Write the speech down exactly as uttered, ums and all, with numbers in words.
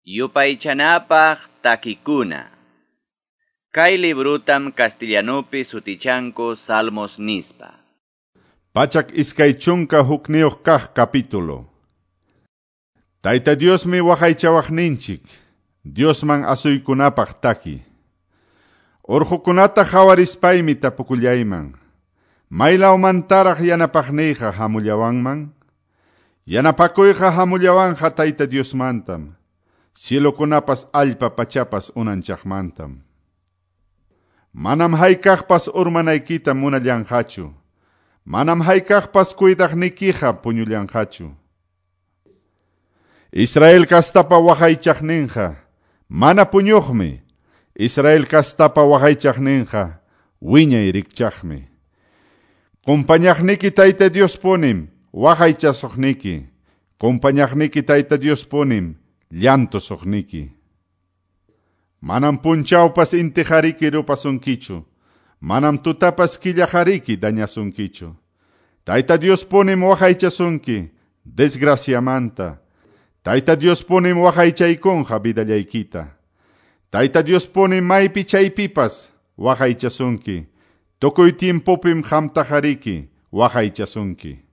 Yupaychanapaq takikuna. Kay librutam castellanupi sutichanku Salmos nispa. Pachak iskay chunka hukniyuq kaq capítulo. Tayta Diosmi waqaychawaqninchik, Diosman asuykunapaq taki. Urqukunata qhawarispaymi tapukullayman. Maylawmantaraq yanapaqniyqa hamullawanman? Yanapakuyqa hamullawanqa Tayta Diosmantam. Cielokunapas allpa pachapas unanchaqmantam. Manam haykaqpas urmanaykita munallanqachu. Manam haykaqpas cuidaqnikiqa puñullanqachu. Israel kastapa waqaychaqninqa mana puñuqmi. Israel kastapa waqaychaqninqa wiñay rikchaqmi. Kumpañaqniki Tayta Dios punim waqaychasuqniki. Kumpañaqniki Tayta Dios punim llantusuqniki. Manam punchawpas intiqariki rupasunkichu. Manam tutapas killaqariki dañasunkichu. Tayta Dios punim waqaychasunki desgraciamanta. Tayta Dios punim waqaychaykunqa vidallaykita. Tayta Dios punim maypi chaypipas waqaychasunki. Tukuy tiempopim qamtaqariki waqaychasunki.